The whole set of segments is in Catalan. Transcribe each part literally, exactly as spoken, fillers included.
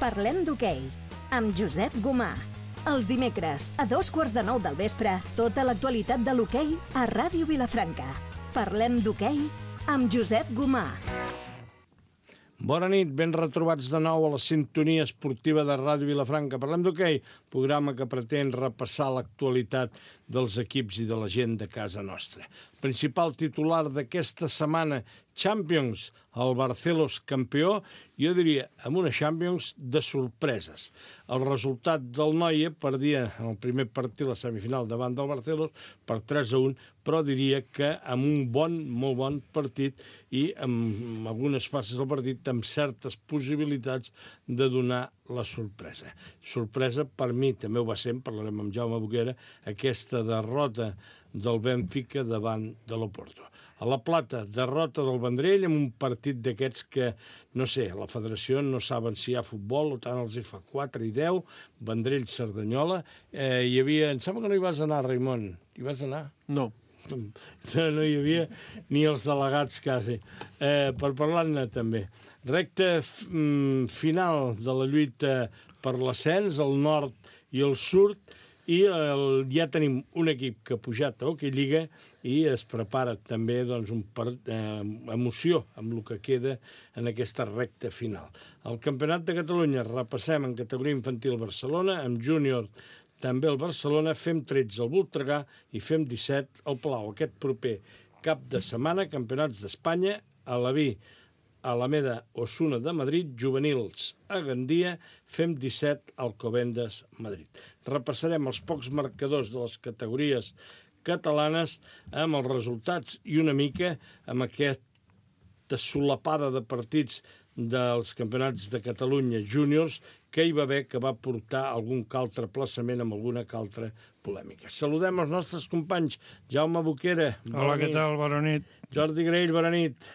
Parlem d'hoquei, amb Josep Gomà. Els dimecres, a dos quarts de nou del vespre, tota l'actualitat de l'hoquei a Ràdio Vilafranca. Parlem d'hoquei amb Josep Gomà. Bona nit, ben retrobats de nou a la sintonia esportiva de Ràdio Vilafranca. Parlem d'hoquei, programa que pretén repassar l'actualitat dels equips i de la gent de casa nostra. Principal titular d'aquesta setmana, Champions, el Barcelos campió, jo diria, amb una Champions de sorpreses. El resultat del Noia perdia en el primer partit la semifinal davant del Barcelos per tres a un, però diria que amb un bon, molt bon partit i amb algunes fases del partit amb certes possibilitats de donar la sorpresa. Sorpresa per mi, també ho va ser, parlarem amb Jaume Boquera, aquesta derrota del Benfica davant de l'Oporto. A la Plata, derrota del Vendrell amb un partit d'aquests que, no sé, la federació no saben si hi ha futbol, o tant els hi fa quatre i deu, Vendrell-Cerdanyola. Eh, hi havia, em sembla que no hi vas anar, Raimon. Hi vas anar? No. No, no hi havia ni els delegats, quasi. Eh, per parlar-ne, també. Recta f- final de la lluita per l'ascens, el nord i el sud, i el, ja tenim un equip que ha pujat a Hockey Lliga i es prepara també doncs, un per, eh, emoció amb el que queda en aquesta recta final. El Campionat de Catalunya repassem en categoria infantil Barcelona, amb júnior també el Barcelona, fem tretze al Voltregà i fem disset al Palau. Aquest proper cap de setmana, campionats d'Espanya, a l'Aví, Alameda, Osuna de Madrid, juvenils a Gandia, fem disset al Alcobendas, Madrid. Repassarem els pocs marcadors de les categories catalanes amb els resultats i una mica amb aquesta solapada de partits dels campionats de Catalunya júniors que hi va haver, que va portar algun altre plaçament amb alguna altra polèmica. Saludem els nostres companys. Jaume Boquera. Hola, què tal? Bona nit. Jordi Graell, bona nit.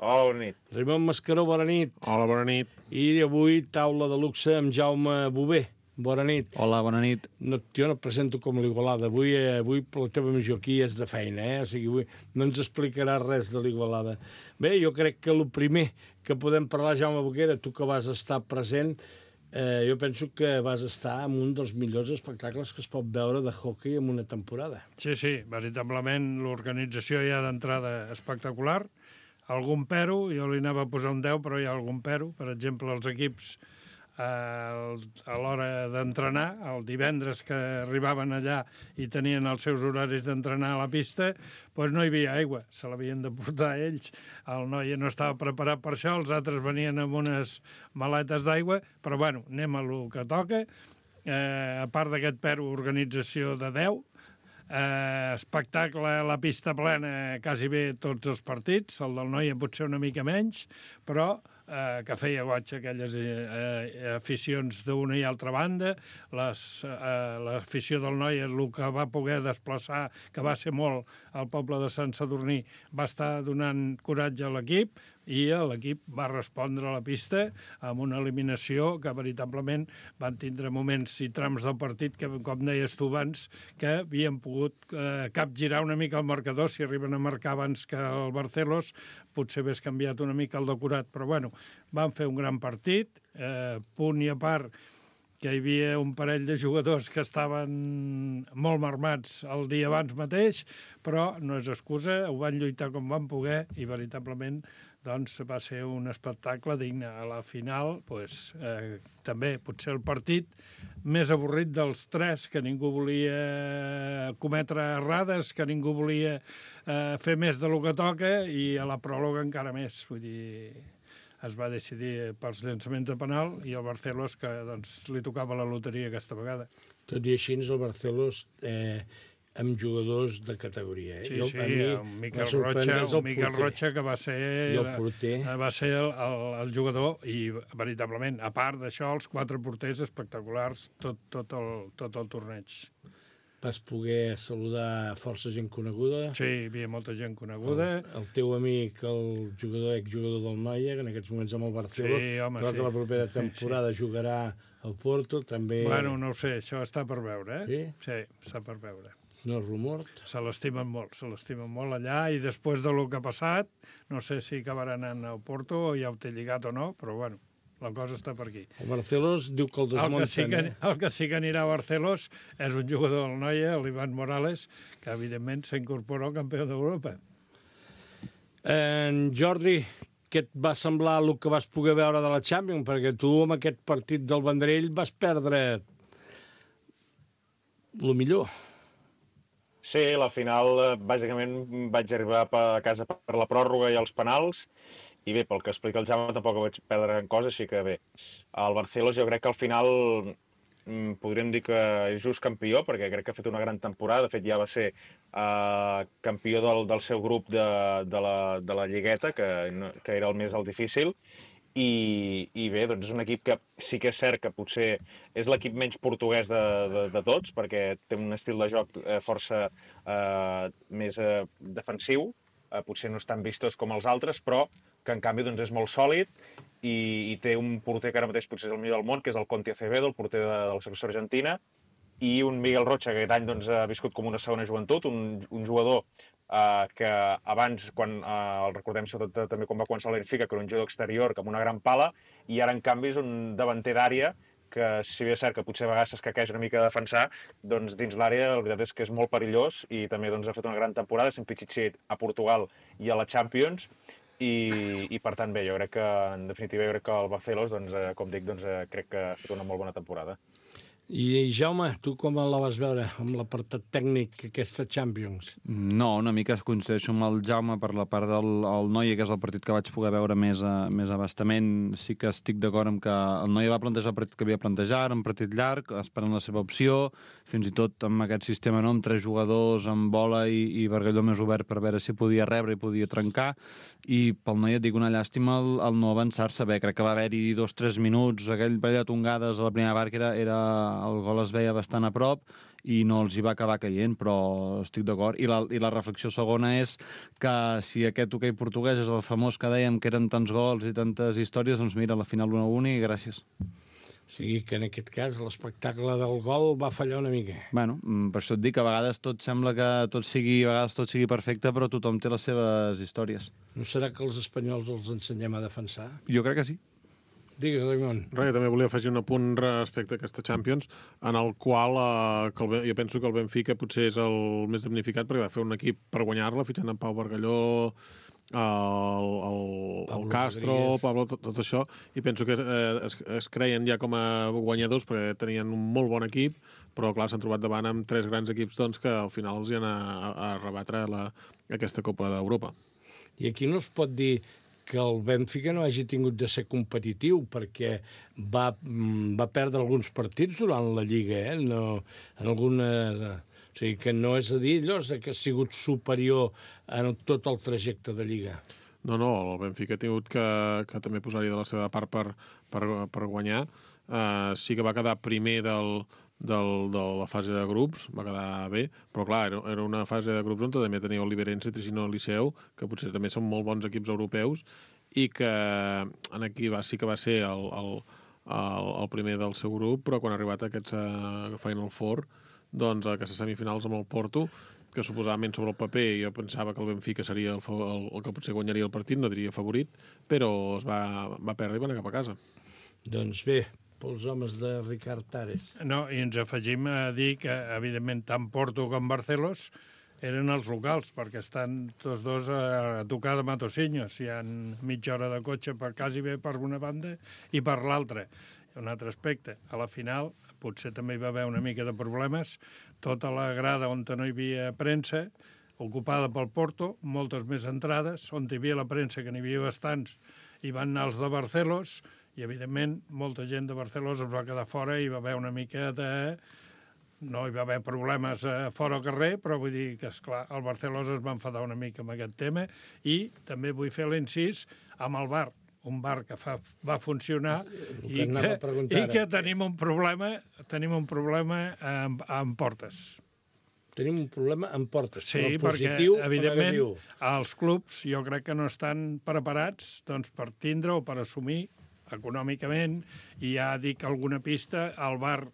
Hola, bona nit. Raimon Mascaró, bona nit. Hola, bona nit. I avui taula de luxe amb Jaume Bové. Bona nit. Hola, bona nit. No, jo no et presento com l'Igualada. Avui, eh, avui la teva missió aquí és de feina, eh? O sigui, avui no ens explicarà res de l'Igualada. Bé, jo crec que el primer que podem parlar, Jaume Boquera, tu que vas estar present, eh, jo penso que vas estar en un dels millors espectacles que es pot veure de hockey en una temporada. Sí, sí, veritablement l'organització ja d'entrada espectacular. Algun pero, jo li anava a posar un deu, però hi ha algun pero. Per exemple, els equips eh, a l'hora d'entrenar, el divendres que arribaven allà i tenien els seus horaris d'entrenar a la pista, doncs no hi havia aigua, se l'havien de portar ells. El noi no estava preparat per això, els altres venien amb unes maletes d'aigua, però bueno, anem a lo que toca. Eh, a part d'aquest pero, organització de deu, Eh, espectacle a la pista plena quasi bé tots els partits, el del Noia potser una mica menys, però eh, que feia goig aquelles eh, aficions d'una i altra banda. Les, eh, l'afició del Noia, el que va poder desplaçar, que va ser molt al poble de Sant Sadurní, va estar donant coratge a l'equip, i l'equip va respondre a la pista amb una eliminació que veritablement van tindre moments i trams del partit que, com deies tu abans, que havien pogut eh, capgirar una mica el marcador. Si arriben a marcar abans que el Barcelos, potser hagués canviat una mica el decorat, però bueno, van fer un gran partit, eh, punt i a part que hi havia un parell de jugadors que estaven molt marmats el dia abans mateix, però no és excusa, ho van lluitar com van poder i veritablement doncs, va ser un espectacle digne. A la final, pues, eh, també potser el partit més avorrit dels tres, que ningú volia cometre errades, que ningú volia eh, fer més de lo que toca, i a la pròloga encara més. Vull dir, es va decidir pels llançaments de penal i el Barcelos, que doncs, li tocava la loteria aquesta vegada. Tot i així, el Barcelos eh, amb jugadors de categoria. Eh? Sí, jo, sí, mi, un Miquel Rocha, un Miquel Rocha que va ser, el porter. va ser el, el, el jugador, i veritablement, a part d'això, els quatre porters espectaculars tot, tot, el, tot el torneig. Vas poder saludar força gent coneguda. Sí, hi havia molta gent coneguda. El, el teu amic, el jugador, exjugador del Noia, que en aquests moments amb el Barcelos, sí, home, però sí. que la propera temporada sí, sí. jugarà al Porto, també... Bueno, no ho sé, això està per veure, eh? Sí? Sí, està per veure. No és rumor. Se l'estimen molt, se l'estimen molt allà, i després de lo que ha passat, no sé si acabarà anant al Porto o ja ho té lligat o no, però bueno. la cosa està per aquí. El Barcelos diu que el desmunten. El que sí que, el que, sí que anirà a Barcelos és un jugador del Noia, l'Ivan Morales, que evidentment s'incorpora al campió d'Europa. En Jordi, què et va semblar el que vas poder veure de la Champions? Perquè tu amb aquest partit del Vendrell vas perdre el millor. Sí, la final, bàsicament, vaig arribar a casa per la pròrroga i els penals, i bé, pel que explica el Jaume, tampoc vaig perdre gran cosa, així que bé. El Barcelos jo crec que al final podríem dir que és just campió, perquè crec que ha fet una gran temporada. De fet, ja va ser uh, campió del, del seu grup de, de, la, de la Lligueta, que, que era el més el difícil. I, i bé, doncs és un equip que sí que és cert que potser és l'equip menys portuguès de, de, de tots, perquè té un estil de joc eh, força eh, més eh, defensiu, eh, potser no és tan vistós com els altres, però que en canvi doncs, és molt sòlid i, i té un porter que ara mateix potser és el millor del món, que és el Conti Acevedo, el porter de, de la selecció argentina, i un Miguel Rocha, que aquest any doncs, ha viscut com una segona joventut, un, un jugador Uh, que abans, quan uh, el recordem sobretot també quan va començar el Benfica, que era un jugador exterior amb una gran pala, i ara en canvi és un davanter d'àrea que, si bé és cert que potser a vegades s'escaqueja una mica a defensar, doncs dins l'àrea la veritat és que és molt perillós i també doncs, ha fet una gran temporada, sent Pichichi a Portugal i a la Champions, i, i per tant bé, jo crec que en definitiva jo crec que el Barcelos, doncs, eh, com dic, doncs, eh, crec que ha fet una molt bona temporada. I Jaume, tu com la vas veure amb l'apartat tècnic aquesta Champions? No, una mica coincideixo amb el Jaume per la part del el Noia, que és el partit que vaig poder veure més, a, més abastament. Sí que estic d'acord amb que el Noia va plantejar el partit que havia plantejat, un partit llarg, esperant la seva opció, fins i tot amb aquest sistema, no?, amb tres jugadors, amb bola i, i Bargalló més obert per veure si podia rebre i podia trencar. I pel Noia et dic una llàstima el, el no avançar-se bé. Crec que va haver-hi dos o tres minuts, aquell parell de tongades a la primera part que era, era el gol es veia bastant a prop i no els hi va acabar caient, però estic d'acord. I la, i la reflexió segona és que si aquest hoquei portuguès és el famós que dèiem que eren tants gols i tantes històries, doncs mira, a la final un a un i gràcies. O sigui que en aquest cas l'espectacle del gol va fallar una mica. Bueno, per això et dic que a vegades tot sembla que tot sigui, a vegades tot sigui perfecte, però tothom té les seves històries. No serà que els espanyols els ensenyem a defensar? Jo crec que sí. Digues, Raimon. Res, també volia afegir un apunt respecte a aquesta Champions, en el qual eh, que el, jo penso que el Benfica potser és el més damnificat perquè va fer un equip per guanyar-la, fitxant en Pau Bargalló, el, el, el Castro, Rodríguez. Pablo, tot, tot això, i penso que eh, es, es creien ja com a guanyadors perquè tenien un molt bon equip, però clar, s'han trobat davant amb tres grans equips doncs, que al final els hi han a, a, a rebatre la, aquesta Copa d'Europa. I aquí no es pot dir que el Benfica no hagi tingut de ser competitiu, perquè va, va perdre alguns partits durant la Lliga, eh? No, en alguna... O sigui, que no és a dir allò que ha sigut superior en tot el trajecte de Lliga. No, no, el Benfica ha tingut que, que també posar-hi de la seva part per, per, per guanyar. Uh, sí que va quedar primer del, del, de la fase de grups, va quedar bé, però clar, era, era una fase de grups on també tenia Oliveirense, Tricino i Liceu, que potser també són molt bons equips europeus, i que en aquí va, sí que va ser el, el, el, el primer del seu grup, però quan ha arribat a aquest uh, Final Four, doncs a aquestes semifinals amb el Porto, que suposadament sobre el paper jo pensava que el Benfica seria el, el, el que potser guanyaria el partit, no diria favorit, però es va, va perdre i va anar cap a casa. Doncs bé, pels homes de Ricard Tares. No, i ens afegim a dir que, evidentment, tant Porto com Barcelos eren els locals, perquè estan tots dos a tocar de Matosinhos. Hi ha mitja hora de cotxe per quasi bé per una banda i per l'altra. Un altre aspecte, a la final potser també hi va haver una mica de problemes. Tota la grada on no hi havia premsa, ocupada pel Porto, moltes més entrades, on hi havia la premsa, que n'hi havia bastants, i van anar els de Barcelos, i evidentment molta gent de Barcelos es va quedar fora i va haver una mica de... No hi va haver problemes fora al carrer, però vull dir que, esclar, el Barcelos es va enfadar una mica amb aquest tema, i també vull fer l'incís amb el bar, un bar que fa, va funcionar i que, i que tenim un problema, tenim un problema amb, amb portes. Tenim un problema amb portes, sí, però positiu perquè, evidentment, els clubs jo crec que no estan preparats doncs, per tindre o per assumir econòmicament, i ja dic alguna pista, el bar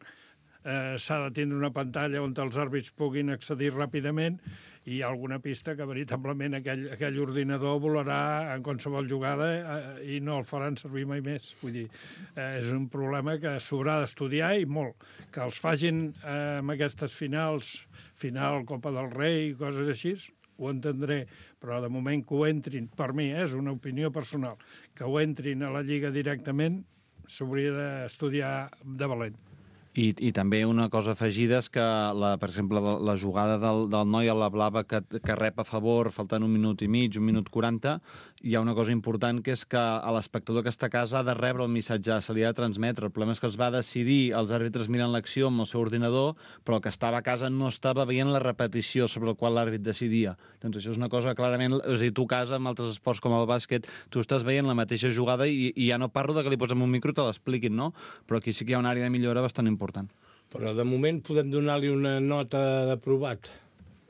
eh, s'ha de tindre una pantalla on els àrbits puguin accedir ràpidament i hi ha alguna pista que veritablement aquell, aquell ordinador volarà en qualsevol jugada eh, i no el faran servir mai més. Vull dir, eh, és un problema que s'haurà d'estudiar i molt. Que els facin eh, amb aquestes finals, final Copa del Rei i coses així, ho entendré, però de moment que ho entrin, per mi, eh, és una opinió personal, que ho entrin a la Lliga directament, s'hauria d'estudiar de valent. I, I també una cosa afegida és que, la, per exemple, la, la jugada del, del noi a la blava que, que rep a favor, faltant un minut i mig, un minut quaranta, hi ha una cosa important que és que l'espectador que està a casa ha de rebre el missatge, se li ha de transmetre. El problema és que es va decidir, els àrbitres miren l'acció amb el seu ordinador, però el que estava a casa no estava veient la repetició sobre el qual l'àrbit decidia. Doncs això és una cosa clarament... És a dir, tu a casa, amb altres esports com el bàsquet, tu estàs veient la mateixa jugada i, i ja no parlo de que li posem un micro i te l'expliquin, no? Però aquí sí que hi ha una àrea de millora bastant important. Però de moment podem donar-li una nota d'aprovat.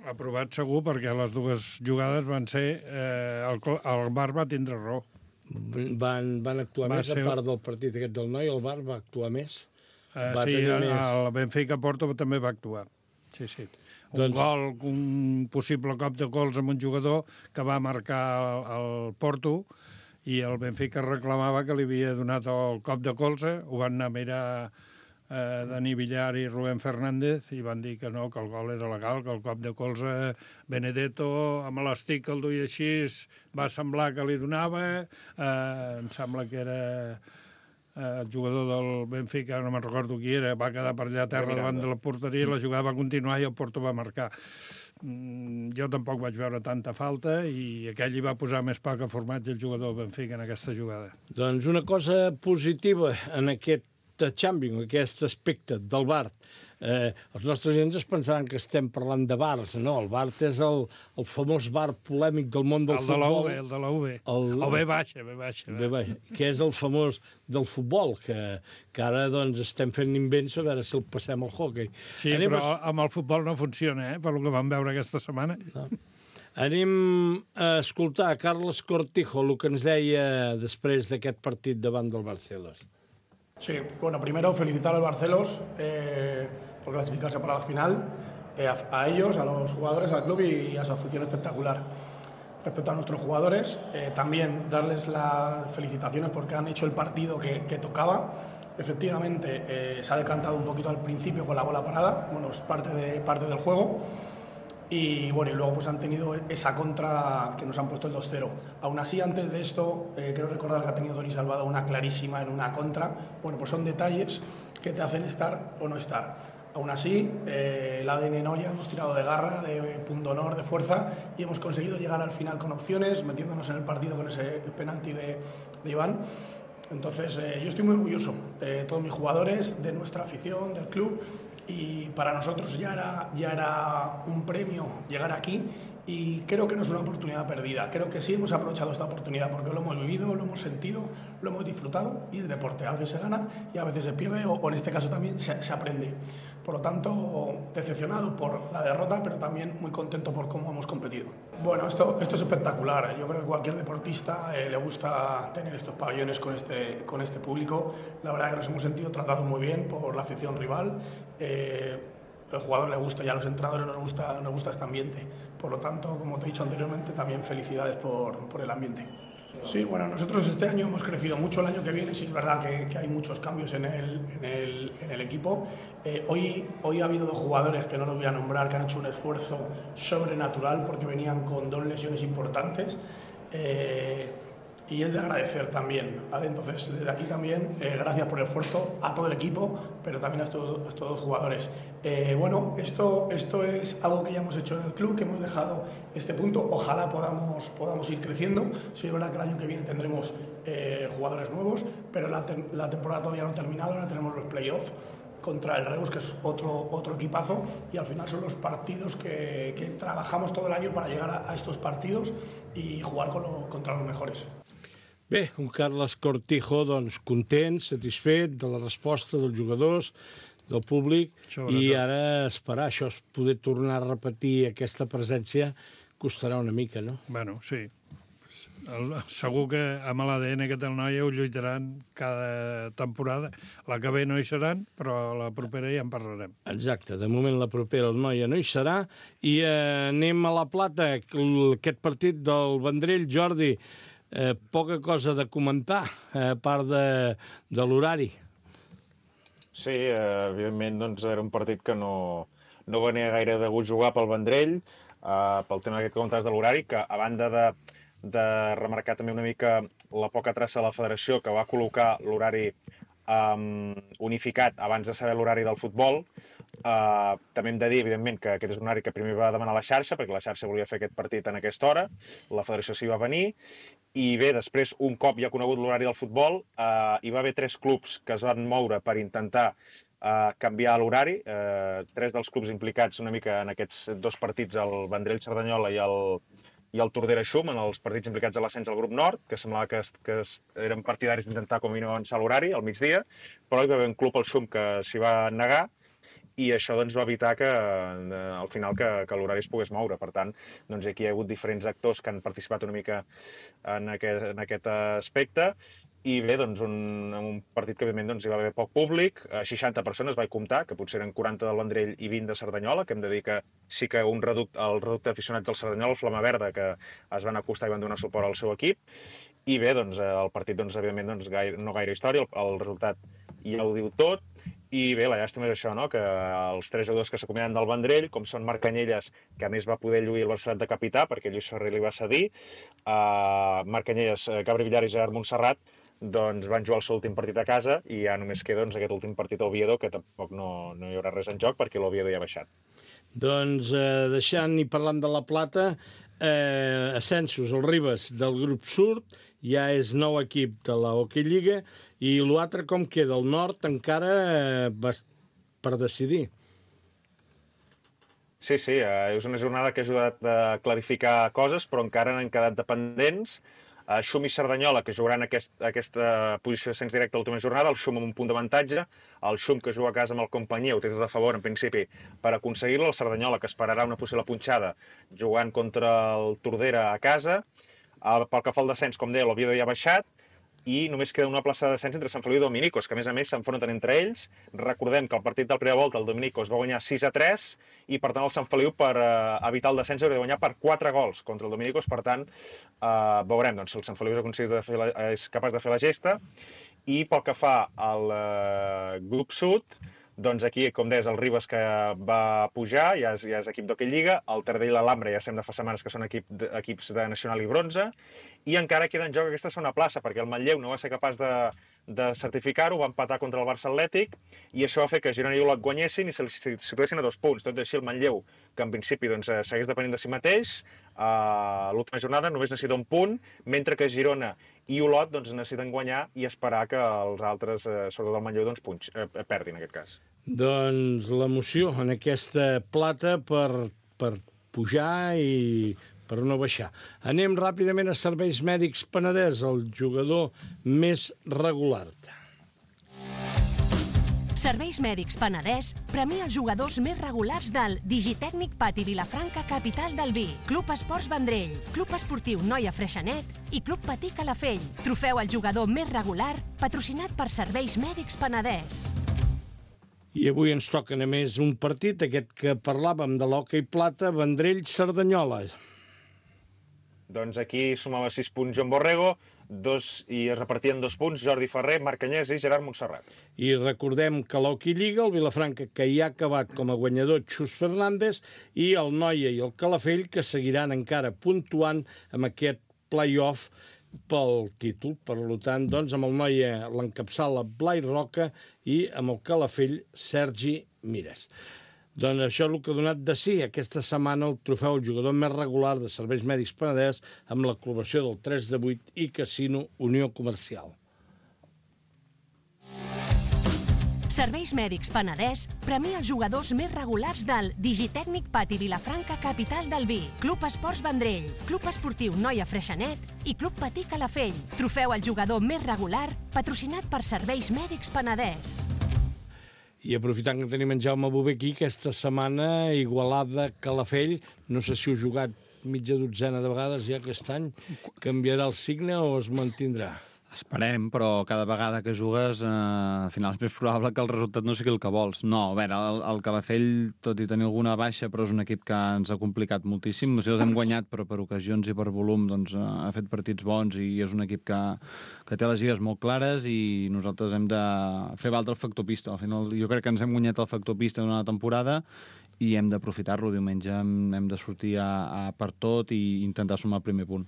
Aprovat segur, perquè les dues jugades van ser... Eh, el, el V A R va tindre raó. Van, van actuar Va més, ser- a part del partit aquest del noi, el V A R va actuar més. Eh, Va sí, tenir el, més. el Benfica Porto també va actuar. Sí, sí. Un Doncs- gol, un possible cop de gols amb un jugador que va marcar el, el Porto i el Benfica reclamava que li havia donat el cop de colze, ho van anar a mirar eh, Dani Villar i Rubén Fernández i van dir que no, que el gol era legal, que el cop de colze Benedetto amb l'estic que el duia així va semblar que li donava, eh, em sembla que era eh, el jugador del Benfica, no me'n recordo qui era, va quedar per allà a terra davant de la porteria, la jugada va continuar i el Porto va marcar. Mm, jo tampoc vaig veure tanta falta i aquell hi va posar més pa que formatge el jugador del Benfica en aquesta jugada. Doncs una cosa positiva en aquest Champions, aquest aspecte del V A R. Eh, els nostres gent es pensaran que estem parlant de V A Rs. No, el V A R és el, el famós V A R polèmic del món del El de la futbol. U B, el de la U B. El- O B baixa, B baixa. Bé, bé, que és el famós del futbol, que, que ara doncs, estem fent invents a veure si el passem al hockey. Sí, Anem però a- amb el futbol no funciona, eh? Per lo que vam veure aquesta setmana. Anem a escoltar Carles Cortijo, el que ens deia després d'aquest partit davant del Barcelos. Sí, bueno, primero felicitar al Barcelos eh, por clasificarse para la final, eh, a, a ellos, a los jugadores, al club y a su afición espectacular. Respecto a nuestros jugadores, eh, también darles las felicitaciones porque han hecho el partido que, que tocaba. Efectivamente, eh, se ha decantado un poquito al principio con la bola parada, bueno, es parte, de, parte del juego. Y bueno, y luego pues han tenido esa contra que nos han puesto el dos cero. Aún así, antes de esto, eh, creo recordar que ha tenido Doni Salvado una clarísima en una contra. Bueno, pues son detalles que te hacen estar o no estar. Aún así, eh, el A D N Noya hemos tirado de garra, de punto honor, de fuerza y hemos conseguido llegar al final con opciones, metiéndonos en el partido con ese penalti de, de Iván. Entonces, eh, yo estoy muy orgulloso de todos mis jugadores, de nuestra afición, del club. Y para nosotros ya era, ya era un premio llegar aquí y creo que no es una oportunidad perdida. Creo que sí hemos aprovechado esta oportunidad porque lo hemos vivido, lo hemos sentido, lo hemos disfrutado y el deporte a veces se gana y a veces se pierde o, o en este caso también se, se aprende. Por lo tanto, decepcionado por la derrota, pero también muy contento por cómo hemos competido. Bueno, esto, esto es espectacular. Yo creo que cualquier deportista eh, le gusta tener estos pabellones con este, con este público. La verdad que nos hemos sentido tratados muy bien por la afición rival. Eh, el jugador le gusta y a los entrenadores nos gusta, nos gusta este ambiente. Por lo tanto, como te he dicho anteriormente, también felicidades por, por el ambiente. Sí, bueno, nosotros este año hemos crecido mucho. El año que viene sí es verdad que, que hay muchos cambios en el, en el, en el equipo. Eh, hoy, hoy ha habido dos jugadores que no los voy a nombrar que han hecho un esfuerzo sobrenatural porque venían con dos lesiones importantes. Eh, y es de agradecer también, ¿vale? Entonces, desde aquí también, eh, gracias por el esfuerzo a todo el equipo, pero también a estos, a estos dos jugadores. Eh, bueno, esto, esto es algo que ya hemos hecho en el club, que hemos dejado este punto. Ojalá podamos, podamos ir creciendo. Sí, es verdad que el año que viene tendremos eh, jugadores nuevos, pero la, te la temporada todavía no ha terminado, ahora tenemos los playoffs contra el Reus, que es otro, otro equipazo, y al final son los partidos que, que trabajamos todo el año para llegar a, a estos partidos y jugar con lo, contra los mejores. Bé, un Carles Cortijo, doncs, content, satisfet de la resposta dels jugadors, del públic, Sobretot. i ara esperar això, poder tornar a repetir aquesta presència, costarà una mica, no? Bueno, sí. el, segur que amb l'A D N que té el Noia ho lluitaran cada temporada. La que ve no hi seran, però la propera ja en parlarem. Exacte, de moment la propera el Noia no hi serà. I eh, anem a la Plata, aquest partit del Vendrell. Jordi, eh, poca cosa de comentar, eh, a part de, de l'horari. Sí, eh, evidentment doncs, era un partit que no, no venia gaire de gust jugar pel Vendrell, eh, pel tema aquest que comentaves de l'horari, que a banda de, de remarcar també una mica la poca traça de la federació, que va col·locar l'horari um, unificat abans de saber l'horari del futbol. Uh, també hem de dir, evidentment, que aquest és un horari que primer va demanar la xarxa, perquè la xarxa volia fer aquest partit en aquesta hora, la federació s'hi va venir, i bé, després, un cop ja conegut l'horari del futbol, uh, hi va haver tres clubs que es van moure per intentar uh, canviar l'horari, uh, tres dels clubs implicats una mica en aquests dos partits, el Vendrell-Cerdanyola i el, i el Tordera-Xum, en els partits implicats a l'ascens del grup nord, que semblava que, que eren partidaris d'intentar com a mínim avançar l'horari al migdia, però hi va haver un club, el Xum, que s'hi va negar, i això doncs, va evitar que, eh, al final que, que l'horari es pogués moure. Per tant, doncs, aquí hi ha hagut diferents actors que han participat una mica en aquest, en aquest aspecte, i bé, doncs, un, un partit que evidentment doncs, hi va haver poc públic, seixanta persones vaig comptar, que potser eren quaranta del Vendrell i vint de Cerdanyola, que hem de dir que sí que un reducte, el reducte d'aficionats del Cerdanyola, el Flama Verda, que es van acostar i van donar suport al seu equip, i bé, doncs, el partit, doncs, evidentment, doncs, gaire, no gaire història, el, el resultat ja ho diu tot. I bé, la llàstima és això, no? Que els tres jugadors que s'acomiaden del Vendrell, com són Marc Canyelles, que a més va poder lluir el Barcelat de capità, perquè Lluís Ferrer li va cedir, uh, Marc Canyelles, Gabri Villar i Gerard Montserrat, doncs van jugar el seu últim partit a casa i ja només queda doncs, aquest últim partit a Oviedo, que tampoc no, no hi haurà res en joc perquè l'Oviedo ja ha baixat. Doncs eh, deixant i parlant de la Plata, eh, ascensos, el Ribes del grup sud, ja és nou equip de la Hockey Lliga, i l'altre com queda? El nord encara eh, per decidir. Sí, sí, eh, és una jornada que ha ajudat a clarificar coses, però encara n'han quedat dependents. Uh, Xum i Cerdanyola, que jugaran aquest, aquesta posició de cens directe a l'última jornada, el Xum amb un punt d'avantatge, el Xum que juga a casa amb el Companyia ho té tot a favor, en principi, per aconseguir-lo, el Cerdanyola que esperarà una possible punxada jugant contra el Tordera a casa. Uh, pel que fa al descens, com deia, l'Oviedo ja ha baixat, i només queda una plaça de descens entre Sant Feliu i Dominicos, que a més a més s'enfronten entre ells. Recordem que el partit del primera volta, el Dominicos va guanyar sis a tres, i per tant el Sant Feliu, per uh, evitar el descens, hauria de guanyar per quatre gols contra el Dominicos. Per tant, uh, veurem doncs, si el Sant Feliu és, de fer la, és capaç de fer la gesta. I pel que fa al uh, grup sud, doncs aquí, com deies, el Ribes que va pujar, ja és, ja és equip d'Hockey Lliga, el Taradell i l'Alhambra ja sembla fa setmanes que són equip de, equips de Nacional i Bronze, i encara queda en joc aquesta segona plaça, perquè el Manlleu no va ser capaç de, de certificar-ho, va empatar contra el Barça Atlètic, i això va fer que Girona i Olot guanyessin i se situessin a dos punts. Tot i així el Manlleu, que en principi doncs, segueix depenent de si mateix, a l'última jornada només necessita un punt, mentre que Girona i Olot doncs, necessiten guanyar i esperar que els altres, eh, sobretot el Manlleu, doncs, punx, eh, perdin en aquest cas. Doncs l'emoció en aquesta Plata per, per pujar i per no baixar. Anem ràpidament a Serveis Mèdics Penedès, el jugador més regular. Serveis Mèdics Penedès premia els jugadors més regulars del Digitècnic Pati Vilafranca, capital del vi, Club Esports Vendrell, Club Esportiu Noia Freixenet i Club Patí Calafell. Trofeu al jugador més regular, patrocinat per Serveis Mèdics Penedès. I avui ens toca, a més, un partit, aquest que parlàvem de l'hoquei plata, Vendrell-Cerdanyola. Doncs aquí sumava sis punts Joan Borrego, dos, i es repartien dos punts Jordi Ferrer, Marc Canyelles i Gerard Montserrat. I recordem que l'Hockey Lliga, el Vilafranca, que hi ha acabat com a guanyador Xus Fernández, i el Noia i el Calafell, que seguiran encara puntuant amb aquest play-off pel títol. Per tant, doncs, amb el Noia l'encapçala Blai Roca i amb el Calafell Sergi Mires. Doncs això és el que ha donat de si aquesta setmana el trofeu al jugador més regular de Serveis Mèdics Penedès amb la col·laboració del tres de vuit i Casino Unió Comercial. Serveis Mèdics Penedès premia els jugadors més regulars del Digitècnic Pati Vilafranca, capital del vi, Club Esports Vendrell, Club Esportiu Noia Freixenet i Club Patí Calafell. Trofeu al jugador més regular, patrocinat per Serveis Mèdics Penedès. I aprofitant que tenim en Jaume Bové aquí, aquesta setmana Igualada Calafell, no sé si heu jugat mitja dotzena de vegades ja aquest any, canviarà el signe o es mantindrà? Esperem, però cada vegada que jugues eh, al final és més probable que el resultat no sigui el que vols. No, a veure, el, el Calafell, tot i tenir alguna baixa, però és un equip que ens ha complicat moltíssim. O sigui, els hem guanyat, però per ocasions i per volum doncs, eh, ha fet partits bons i és un equip que, que té les lligues molt clares i nosaltres hem de fer valdre el factor pista. Al final, jo crec que ens hem guanyat el factor pista d'una temporada i hem d'aprofitar-lo. Diumenge hem, hem de sortir a, a per tot i intentar sumar el primer punt.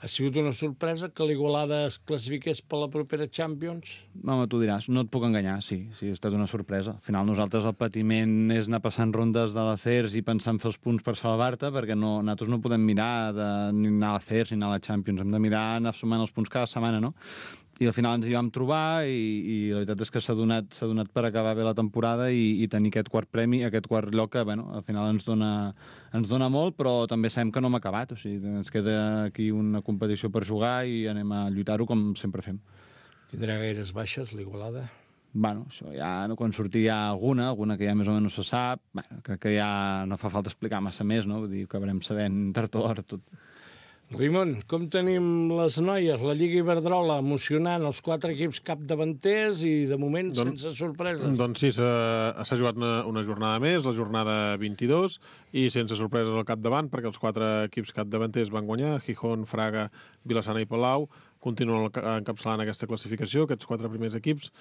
Ha sigut una sorpresa que l'Igualada es classifiqués per la propera Champions? Home, tu diràs, no et puc enganyar, sí, sí, ha estat una sorpresa. Al final nosaltres el patiment és anar passant rondes de l'Acers i pensar en fer els punts per salvar-te, perquè no, nosaltres no podem mirar de, ni anar a l'Acers ni anar a la Champions, hem de mirar anar sumant els punts cada setmana, no? I al final ens hi vam trobar i, i la veritat és que s'ha donat, s'ha donat per acabar bé la temporada i, i tenir aquest quart premi, aquest quart lloc que, bueno, al final ens dona, ens dona molt, però també sabem que no hem acabat. O sigui, ens queda aquí una competició per jugar i anem a lluitar-ho com sempre fem. Tindrà gaires baixes, l'Igualada? Bueno, això ja, no, quan surti hi ha alguna, alguna que ja més o menys se sap, bueno, crec que ja no fa falta explicar massa més, no? Vull dir, que acabarem sabent tard o d'hora tot. Ramon, com tenim les noies? La Lliga Iberdrola emocionant, els quatre equips capdavanters i de moment Don, sense sorpreses. Doncs sí, s'ha jugat una, una jornada més, la jornada vint-i-dos, i sense sorpreses al capdavant, perquè els quatre equips capdavanters van guanyar, Gijón, Fraga, Vilassana i Palau, continuen encapçalant aquesta classificació, aquests quatre primers equips,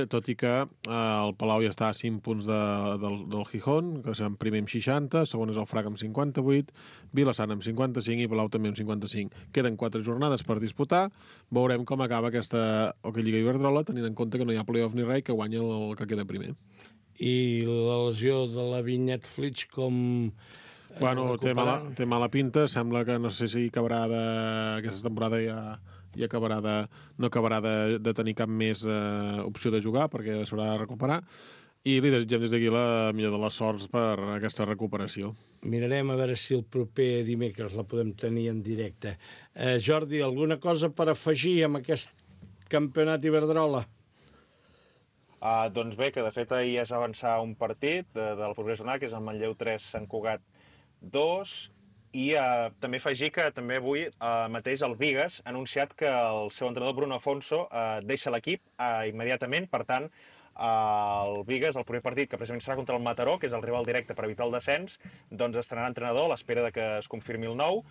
tot i que eh, el Palau ja està a cinc punts de, del, del Gijón, que és en primer amb seixanta, segon és el Fraga amb cinquanta-vuit, Vilassana amb cinquanta-cinc i Palau també amb cinquanta-cinc. Queden quatre jornades per disputar, veurem com acaba aquesta Hockey Lliga Iberdrola, tenint en compte que no hi ha playoff ni res, que guanya el, el que queda primer. I la lesió de la Vinyet Flitsch com... Bueno, té mala, té mala pinta, sembla que no sé si acabarà de... aquesta temporada ja... i acabarà de, no acabarà de, de tenir cap més eh, opció de jugar perquè s'haurà de recuperar i li desitgem des d'aquí la millor de les sorts per aquesta recuperació. Mirarem a veure si el proper dimecres la podem tenir en directe. Eh, Jordi, alguna cosa per afegir amb aquest campionat Iberdrola? Uh, doncs bé, que de fet ahir és avançar un partit de, de la propera jornada, que és el Manlleu tres, Sant Cugat dos, i uh, també afegir que també avui uh, mateix el Bigues ha anunciat que el seu entrenador Bruno Afonso uh, deixa l'equip uh, immediatament, per tant uh, el Bigues, el primer partit que precisament serà contra el Mataró, que és el rival directe per evitar el descens, doncs estrenarà entrenador a l'espera de que es confirmi el nou.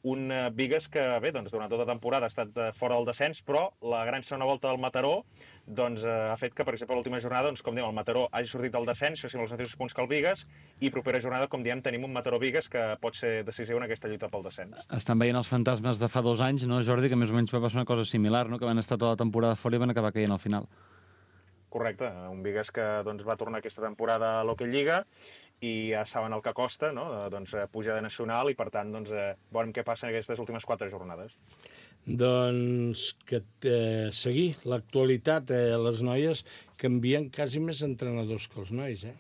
Un uh, Bigues que, bé, doncs, durant tota la temporada ha estat uh, fora del descens, però la gran segona volta del Mataró doncs, uh, ha fet que, per exemple, l'última jornada, doncs, com diem, el Mataró hagi sortit del descens, això sí, amb els mateixos punts que el Bigues, i propera jornada, com diem, tenim un Mataró-Bigues que pot ser decisiu en aquesta lluita pel descens. Estan veient els fantasmes de fa dos anys, no, Jordi, que més o menys va passar una cosa similar, no? Que van estar tota la temporada fora i van acabar caient al final. Correcte, un Bigues que doncs, va tornar aquesta temporada a l'Hockey Lliga, i ja saben el que costa, no? Doncs, pujar de nacional i, per tant, doncs, veurem què passa en aquestes últimes quatre jornades. Doncs que eh, seguir l'actualitat, eh, les noies canvien quasi més entrenadors que els nois, eh?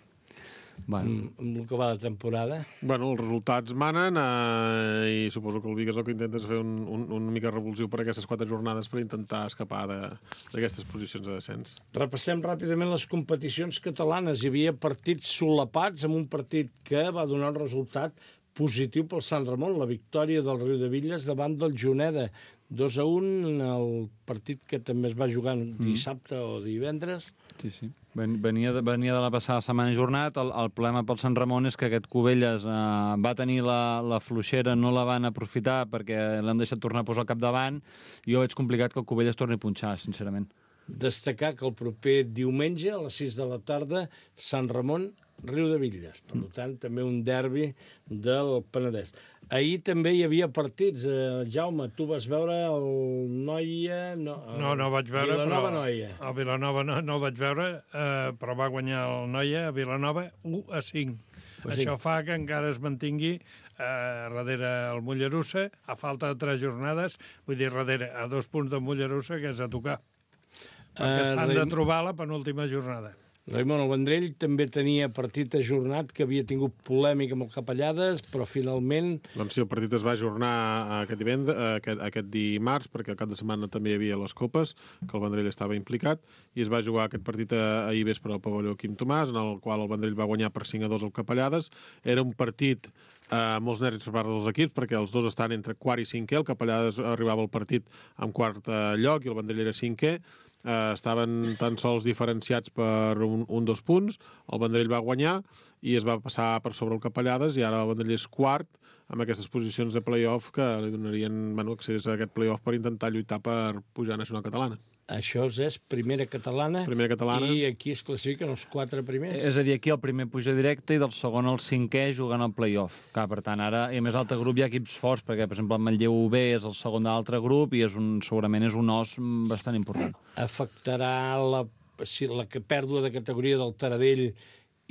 Bueno. Amb, amb el que va de temporada. Bueno, els resultats manen eh, i suposo que el Bigues el que intenta és fer un, un, una mica revulsiu per aquestes quatre jornades per intentar escapar d'aquestes posicions de descens. Repassem ràpidament les competicions catalanes. Hi havia partits solapats amb un partit que va donar el resultat positiu pel Sant Ramon, la victòria del Riudebitlles davant del Juneda. dos a un, el partit que també es va jugar dissabte mm. o divendres. Sí, sí. Venia de, venia de la passada setmana jornat. El, el problema pel Sant Ramon és que aquest Cubelles eh, va tenir la, la fluixera, no la van aprofitar perquè l'han deixat tornar a posar al capdavant. Jo veig complicat que el Cubelles torni a punxar, sincerament. Destacar que el proper diumenge, a les sis de la tarda, Sant Ramon, Riudebitlles. Per mm. tant, també un derbi del Penedès. Ahir també hi havia partits. Eh, Jaume, tu vas veure el Noia... No, el... no, no vaig veure, Vilanova però... Noia. El Vilanova no, no vaig veure, eh, però va guanyar el Noia a Vilanova u a cinc. Pues Això sí. fa que encara es mantingui eh, darrere el Mollerussa, a falta de tres jornades, vull dir, darrere, a dos punts del Mollerussa, que és a tocar. Perquè uh, s'han Raim... de trobar la penúltima jornada. Raimon, el Vendrell també tenia partit ajornat, que havia tingut polèmica amb el Capellades, però finalment... Doncs sí, el partit es va ajornar aquest, divendres, aquest, aquest dimarts, perquè al cap de setmana també hi havia les copes, que el Vendrell estava implicat, i es va jugar aquest partit ahir vespre al pavelló Quim Tomàs, en el qual el Vendrell va guanyar per cinc a dos al Capellades. Era un partit eh, molts nervis per part dels equips, perquè els dos estan entre quart i cinquè, el Capellades arribava al partit amb quart eh, lloc i el Vendrell era cinquè, Uh, estaven tan sols diferenciats per un, un dos punts, el Vendrell va guanyar i es va passar per sobre el Capellades i ara el Vendrell és quart amb aquestes posicions de play-off que li donarien bueno, accés a aquest play-off per intentar lluitar per pujar a Nacional Catalana. Això és primera catalana, primera catalana i aquí es classifiquen els quatre primers. És a dir, aquí el primer puja directe i del segon al cinquè jugant al play-off. Clar, per tant, ara, i a més altre grup hi ha equips forts, perquè, per exemple, el Manlleu U B és el segon de l'altre grup i és un, segurament és un os bastant important. Afectarà la, si, la pèrdua de categoria del Taradell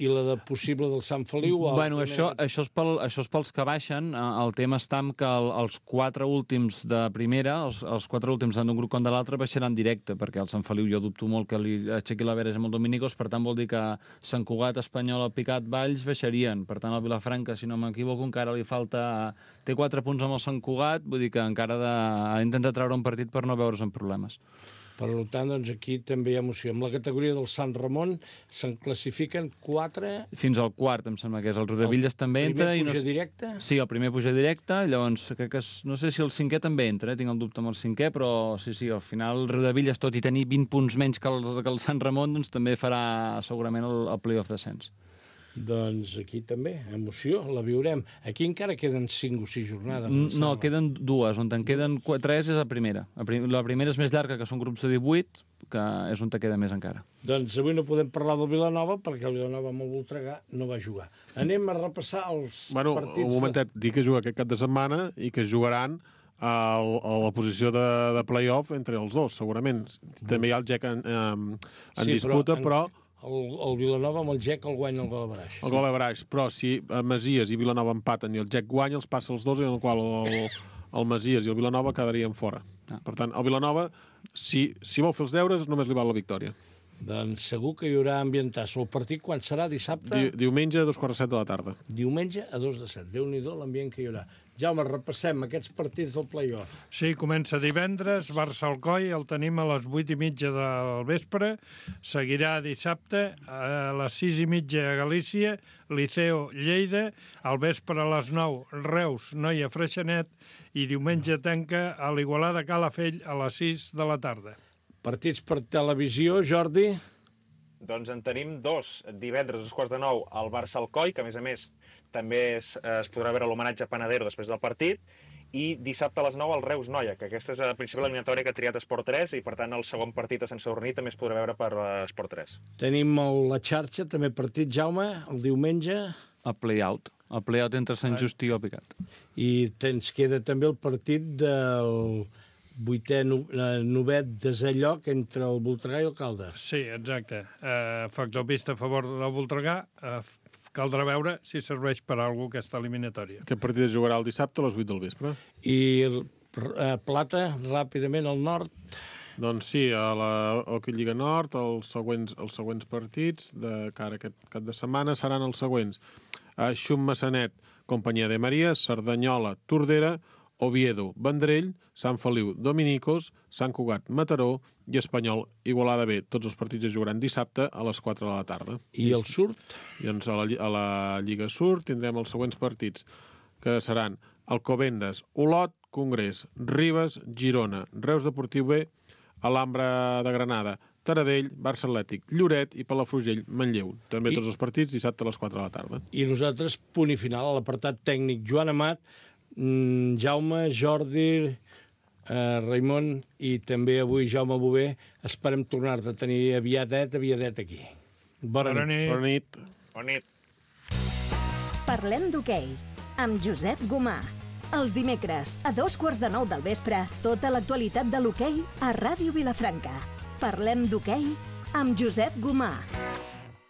i la de possible del Sant Feliu? Bueno, això, això, és pel, això és pels que baixen. El tema està en que el, els quatre últims de primera, els, els quatre últims d'un grup com de l'altre, baixaran directe, perquè el Sant Feliu jo dubto molt que li aixequi la veres amb el Dominicos, per tant vol dir que Sant Cugat, Espanyol, el Picat, Valls baixarien. Per tant, el Vilafranca, si no m'equivoco, encara li falta... Té quatre punts amb el Sant Cugat, vull dir que encara ha de... ha d'intentar treure un partit per no veure's en problemes. Per tant, doncs, aquí també hi ha emoció. Amb la categoria del Sant Ramon se'n classifiquen quatre... Fins al quart, em sembla que és. El Rodavilles també entra. El primer puja i no... directe? Sí, el primer puja directe. Llavors, crec que és... no sé si el cinquè també entra, eh? Tinc el dubte amb el cinquè, però sí, sí, al final el Rodavilles, tot i tenir vint punts menys que el, que el Sant Ramon, doncs també farà segurament el, el play-off descens. Doncs aquí també, emoció, la viurem. Aquí encara queden cinc o sis jornades. No, queden dues. On en queden tres és la primera. La primera és més llarga, que són grups de divuit, que és on te queda més encara. Doncs avui no podem parlar del Vilanova, perquè el Vilanova amb el Voltregà no va jugar. Anem a repassar els bueno, partits... Un momentet, de... dir que juga aquest cap de setmana i que jugaran a, a la posició de, de play-off entre els dos, segurament. També hi ha el G E C en, en, en sí, disputa, però... però... El, el Vilanova amb el G E C el guanya el gol a Baraix. El gol a Baraix, però si Masies i Vilanova empaten i el G E C guanya, els passa els dos, en el qual el, el Masies i el Vilanova quedarien fora. Ah. Per tant, el Vilanova, si, si vol fer els deures, només li val la victòria. Doncs segur que hi haurà ambientasso. El partit quan serà? Dissabte? Di, diumenge a dos quarts de set de la tarda. Diumenge a dos de set. Déu-n'hi-do l'ambient que hi haurà. Jaume, repassem aquests partits del play-off. Sí, comença divendres, Barça-Alcoi, el tenim a les vuit i mitja del vespre, seguirà dissabte a les sis i mitja a Galícia, Liceo-Lleida, al vespre a les nou, Reus, Noia, Freixenet, i diumenge tanca a l'Igualada Calafell a les sis de la tarda. Partits per televisió, Jordi? Doncs en tenim dos. Divendres, a dos quarts de nou, el Barça-Alcoi, que a més a més també es, es podrà veure l'homenatge a Panadero després del partit, i dissabte a les nou el Reus-Noia, que aquesta és la principal eliminatòria que ha triat Esport tres i per tant el segon partit a Sant Sadurní també es podrà veure per Esport tres. Tenim el, la xarxa, també partit, Jaume, el diumenge. El play-out. El play-out entre Sant Just i el Picat. I ens queda també el partit del vuitè, novè desè lloc entre el Voltregà i el Caldes. Sí, exacte. Uh, factor pista a favor del Voltregà. Uh, caldrà veure si serveix per a alguna aquesta eliminatòria. Aquest partit es jugarà el dissabte a les vuit del vespre. I uh, Plata, ràpidament, al nord? Doncs sí, a la Hockey Lliga Nord els següents, els següents partits de cara a aquest cap de setmana seran els següents. Uh, Xum-Massanet, Companyia de Maria, Cerdanyola, Tordera, Oviedo, Vendrell, Sant Feliu, Dominicos, Sant Cugat, Mataró i Espanyol, Igualada B. Tots els partits es jugaran dissabte a les quatre de la tarda. I el Surt? I doncs a la, a la Lliga Surt tindrem els següents partits, que seran Alcobendas, Olot, Congrés, Ribes, Girona, Reus Deportiu B, Alhambra de Granada, Taradell, Barça Atlètic, Lloret i Palafrugell, Manlleu. També I... tots els partits dissabte a les quatre de la tarda. I nosaltres, punt i final, a l'apartat tècnic, Joan Amat, Jaume, Jordi, eh, Raimon i també avui Jaume Bové. Esperem tornar-te a tenir aviadet, aviadet aquí. Bona, Bona nit. Bona nit. Bona nit. Parlem d'hoquei amb Josep Gomà. Els dimecres, a dos quarts de nou del vespre, tota l'actualitat de l'hoquei a Ràdio Vilafranca. Parlem d'hoquei amb Josep Gomà.